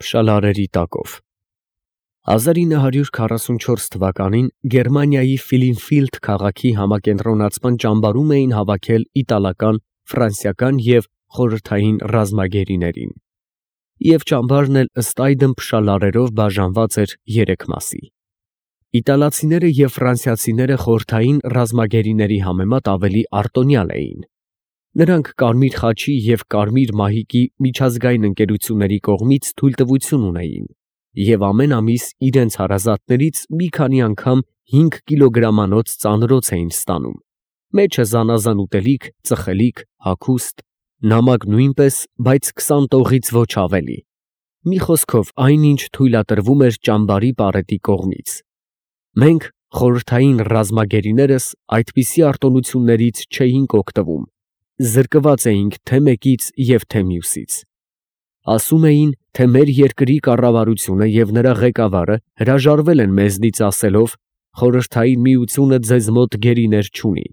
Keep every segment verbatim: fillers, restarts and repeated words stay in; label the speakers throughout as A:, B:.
A: Փշալարերի տակով հազար ինը հարյուր քառասունչորս թվականին Գերմանիայի Ֆիլինֆիլդ քաղաքի համակենտրոնացման ճամբարում էին հավաքել իտալական, ֆրանսիական և խորհրդային ռազմագերիներին, և ճամբարն էլ ըստ այդմ փշալարերով բաժանված էր երեք մասի։ Իտալացիները և ֆրանսիացիները խորհրդային ռազմագերիների համեմատ ավելի արտոնյալ էին։ Նրանք Կարմիր խաչի և Կարմիր մահիկի միջազգային ընկերությունների կողմից թույլտվություն ունեին և ամեն ամիս իրենց հարազատներից մի քանի անգամ հինգ կիլոգրամանոց ծանրոց էին ստանում, մեջը զանազան ուտելիք, ծխելիք, հագուստ, նամակ նույնպես, բայց քսան տողից ոչ ավելի, մի խոսքով այն, ինչ թույլատրվում էր ճամբարի պարետի կողմից։ Մենք, խորհրդային ռազմագերիներս, այդպիսի արտոնություններից չէինք օգտվում, զրկված էինք թե մեկից և թե մյուսից։ Ասում էին, թե մեր երկրի կառավարությունը և նրա ղեկավարը հրաժարվել են մեզնից ասելով. «Խորհրդային միությունը ձեզ մոտ գերիներ չունի,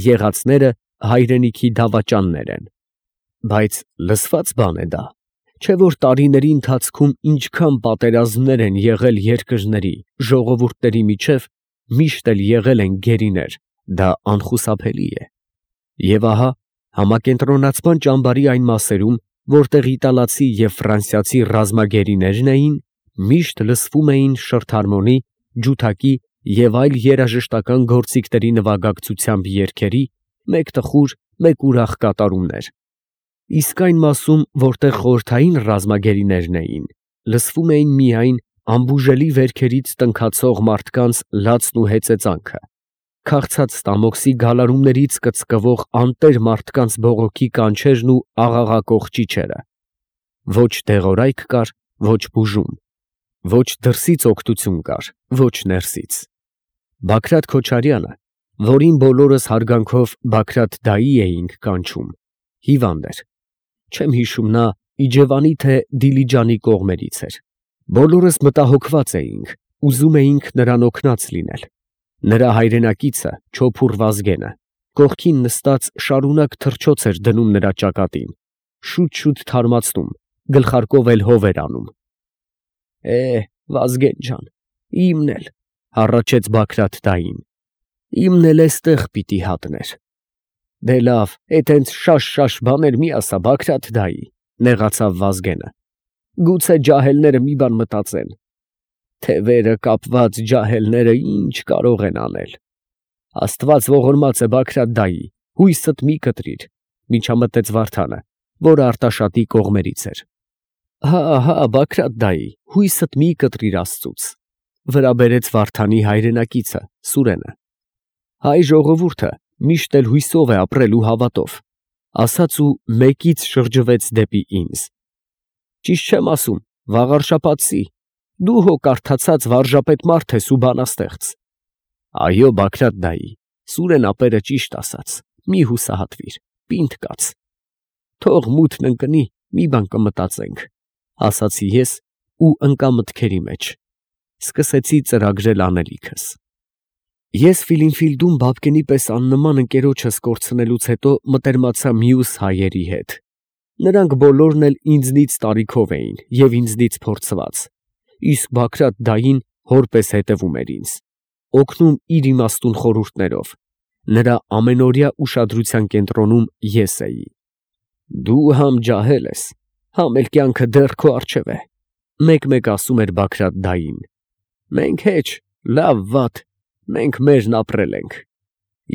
A: եղածները հայրենիքի դավաճաններ են»։ Բայց լսված բան է դա, չէ՞ որ տարիների ընթացքում ինչքան պատերազմներ են եղել երկրների, ժողովուրդների միջև, միշտ էլ եղել են գերիներ, դա անխուսափելի է։ Եվ ահա համակենտրոնացման ճամբարի այն մասերում, որտեղ իտալացի և ֆրանսիացի ռազմագերիներն էին, միշտ լսվում էին շրթհարմոնի, ջութակի և այլ երաժշտական գործիքների նվագակցությամբ երգերի, մեկ տխուր, մեկ ուրախ կատարումներ, իսկ այն մասում, որտեղ խորհրդային ռազմագերիներն էին, լսվում էին միայն անբուժելի վերքերից տնքացող մարդկանց լացն ու հեծեծանքը, քաղցած ստամոքսի գալարումներից կծկվող անտեր մարդկանց բողոքի կանչերն ու աղաղակող ճիչերը։ Ոչ դեղորայք կար, ոչ բուժում, ոչ դրսից օգնություն կար, ոչ ներսից։ Բագրատ Քոչարյանը, որին բոլորս հարգանքով Բագրատ֊դայի էինք կանչում, հիվանդ էր, չեմ հիշում նա Իջևանի թե Դիլիջանի կողմերից էր։ Բոլորս մտահոգված էինք, ուզում էինք նրան օգնած լինել։ Նրա հայրենակիցը Չոփուռ Վազգենը կողքին նստած շարունակ թռչոց էր դնում նրա ճակատին, շուտ֊շուտ թարմացնում, գլխարկով էլ հով էր անում։ «Է, Վազգեն ջան, իմն էլ», հառաչեց Բագրատ֊դային, «իմն էլ էստեղ պիտի հատներ»։ «Դե լավ, էդ հենց շաշ֊շաշ բաներ մի ասա, Բագրատ֊դայի», նեղացավ Վազգենը, «գուցե ջահելները մի բան մտածեն»։ «Թևերը կապված ջահելները ինչ կարող են անել»։ «Աստված ողորմած է, Բագրատ֊դայի, հույսդ մի կտրիր», միջամտեց Վարդանը, որը Արտաշատի կողմերից էր։ «Հա, հա, Բագրատ֊դայի, հույսդ մի կտրիր աստծուց», վրա բերեց Վարդանի հայրենակիցը Սուրենը։ «Հայ ժողովուրդը միշտ էլ հույսով է ապրել ու հավատով», ասաց ու մեկից շրջվեց դեպի ինձ։ «Ճիշտ չեմ ասում, վաղարշաբաթցի, դու հո կարդացած վարժապետ մարդ ես ու բանաստեղծ»։ «Այո, Բագրատ֊դայի, Սուրեն ապերը ճիշտ ասաց, մի հուսահատվիր, պինդ կաց»։ «Թող մութն ընկնի, մի բան կմտածենք», ասացի ես ու ընկա մտքերի մեջ, սկսեցի ծրագրել անելիքս։ Ես Ֆիլինֆիլդում Բաբկենի պես աննման ընկերոջս կորցնելուց հետո մտերմացա մյուս հայերի հետ։ Նրանք բոլորն էլ ինձնից տարիքով էին և ինձնից փորձված, իսկ Բագրատ֊դային հոր պես հետևում էր ինձ, օգնում իր իմաստուն խորհուրդներով, նրա ամենօրյա ուշադրության կենտրոնում ես էի։ «Դու համ ջահել ես, համ էլ կյանքը դեռ քո առջև է», մեկ֊մեկ ասում էր Բագրատ֊դային։ «Մենք հեչ, լավ֊վատ, մենք մերն ապրել ենք»։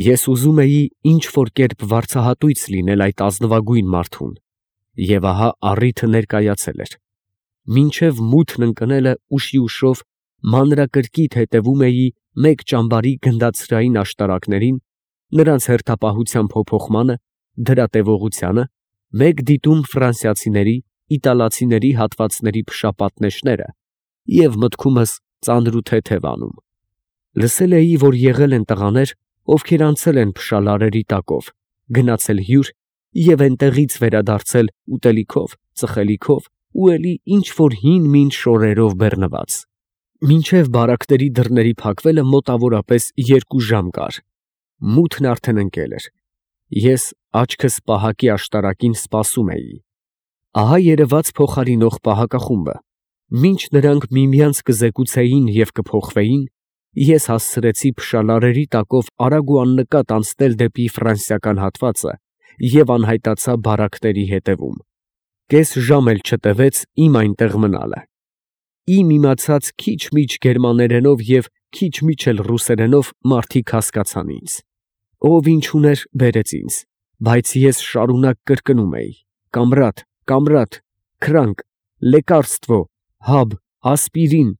A: Ես ուզում էի ինչ֊որ կերպ վարձահատույց լինել այդ ազնվագույն մարդուն, և ահա առիթը ներկայացել էր։ Մինչև մութն ընկնելը ուշիուշով մանրակրկիտ հետևում էի մեկ ճամբարի գնդացրային աշտարակներին, նրանց հերթապահության փոփոխմանը, դրա տևողությանը, մեկ դիտում ֆրանսիացիների, իտալացիների հատվածների փշապատնեշները և մտքումս ծանր ու թեթև անում։ Լսել էի, որ եղել են տղաներ, ովքեր անցել են փշալարերի տակով, գնացել հյուր և էնտեղից վերադարձել ուտելիքով, ծխելիքով ու էլի ինչ֊որ հին֊մին շորերով բեռնված։ Մինչև բարակների դռների փակվելը մոտավորապես երկու ժամ կար։ Մութն արդեն ընկել էր։ Ես աչքս պահակի աշտարակին սպասում էի։ Ահա երևաց փոխարինող պահակախումբը, Մինչ նրանք միմյանց կզեկուցեին և կփոխվեին, ես հասցրեցի փշալարերի տակով արագ ու աննկատ անցնել դեպի ֆրանսիական հատվածը և անհայտացա բարակների հետևում. կես ժամ էլ չտևեց իմ այնտեղ մնալը։ Իմ իմացած քիչ-միչ գերմաներենով և քիչ-միչ էլ ռուսերենով մարդիկ հասկացան ինձ. ով ինչ ուներ, բերեց ինձ, բայց ես շարունակ կրկնում էի. «Կամրատ, կամրատ, քրանկ, լեկարստվո, հաբ, ասպիրին»։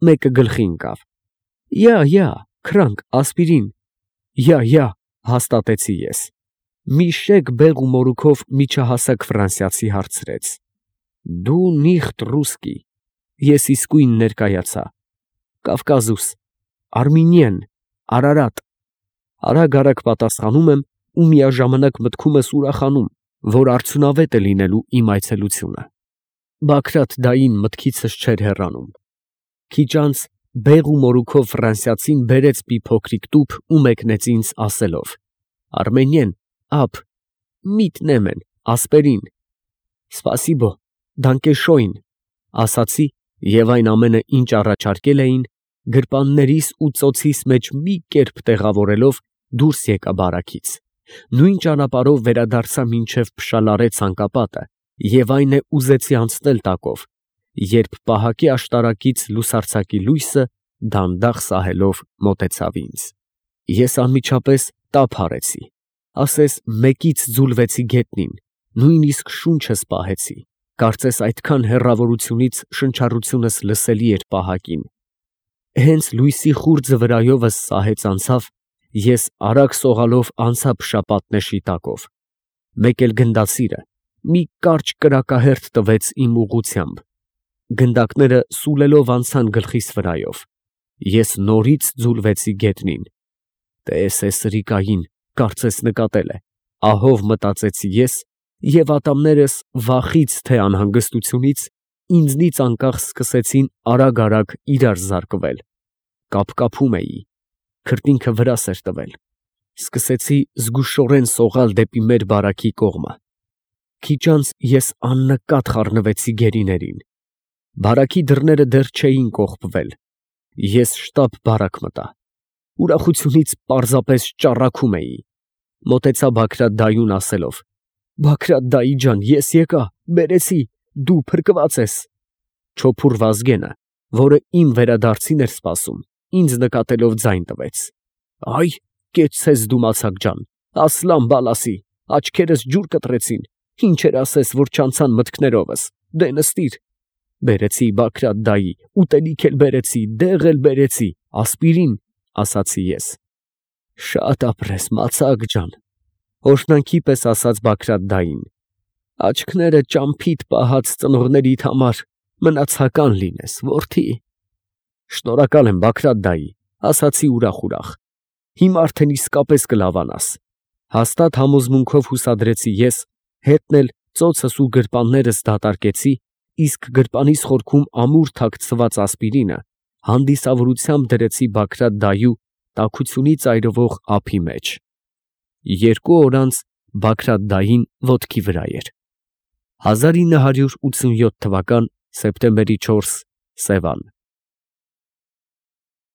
A: Մեկը գլխի ընկավ. «Յա, յա, քրանկ, ասպիրին»։ «Յա, յա», հաստատեցի ես։ Մի շեկ բեղ ու մորուքով միջահասակ ֆրանսիացի հարցրեց. «Դու նիխտ ռուսկի»։ Ես իսկույն ներկայացա. «Կավկազուս, Արմինիեն, Արարատ»։ Արագ֊արագ պատասխանում եմ ու միաժամանակ մտքումս ուրախանում, որ արդյունավետ է լինելու իմ այցելությունը։ Բագրատ֊դային մտքիցս չէր հեռանում։ Քիչ անց բեղ ու մորուքով ֆրանսիացին բերեց մի փոքրիկ տուփ ու մեկնեց ինձ, ասելով. «Արմենիեն, ափ, միտ նեմեն, ասպերին»։ «Սպասիբո, դանկեշոյն», ասացի և այն ամենը, ինչ առաջարկել էին, գրպաններիս ու ծոցիս մեջ մի կերպ տեղավորելով, դուրս եկա բարակից, նույն ճանապարհով վերադարձա մինչև փշալարե ցանկապատը և այն է ուզեցի անցնել տակով, երբ պահակի աշտարակից լուսարձակի լույսը դանդաղ սահելով մոտեցավ ինձ։ Ես անմիջապես տափ արեցի, ասես մեկից ձուլվեցի գետնին, նույնիսկ շունչս պահեցի, կարծես այդքան հեռավորությունից շնչառությունս լսելի էր պահակին։ Հենց լույսի խուրջը վրայովս սահեց անցավ, ես արագ սողալով անցա փշապատնեշի տակով։ Մեկ էլ գնդացիրը մի կարճ կրակահերթ տվեց իմ ուղղությամբ։ Գնդակները սուլելով անցան գլխիս վրայով։ Ես նորից ձուլվեցի գետնին։ «Տես է սրիկային, կարծես նկատել է», ահով մտածեցի ես, և ատամներս վախից թե անհանգստությունից ինձնից անկախ սկսեցին արագ֊արագ իրար զարկվել։ Կապկապում էի, քրտինքը վրաս էր տվել։ Սկսեցի զգուշորեն սողալ դեպի մեր բարակի կողմը։ Քիչ անց ես աննկատ խառնվեցի գերիներին։ Բարակի դռները դեռ չէին կողպվել։ Ես շտապ բարակ մտա։ Ուրախությունից պարզապես ճառագում էի։ Մոտեցա Բագրատ֊դայուն, ասելով. «Բագրատ֊դայի ջան, ես եկա, բերեցի, դու փրկված ես»։ Չոփուռ Վազգենը, որը իմ վերադարձին էր սպասում, ինձ նկատելով ձայն տվեց. «Այ, կեցցես դու մացակ ջան, ասլան բալասի, աչքերս ջուր կտրեցին, ինչեր ասես, որ չանցան մտքներովս, դե նստիր»։ Բերեցի Բագրատ֊դայի, ուտելիք էլ բերեցի, դեղ էլ բերեցի, ասպիրին, ասացի ես։ «Շատ ապրես, մացակ ջան», օրհնանքի պես ասաց Բագրատ֊դային։ «Աչքները ճամփիդ պահած ծնողներիդ համար մնացական լինես, որդի»։ «Շնորհակալ եմ, Բագրատ֊դայի», ասացի ուրախ֊ուրախ։ «Հիմա արդեն իսկապես կլավանաս»։ Հաստատ համոզմունքով հուսադրեցի ես, հետն էլ ծոցս ու գրպաններս դատարկեցի, իսկ գրպանիս խորքում ամուր թաքցված ասպիրինը հանդիսավորությամբ դրեցի Բագրատ֊դայու տաքությունից այրվող ափի մեջ։ Երկու օր անց Բագրատ֊դային ոտքի վրա էր։ հազար ինը հարյուր ութսունյոթ թվական սեպտեմբերի չորս, Սևան։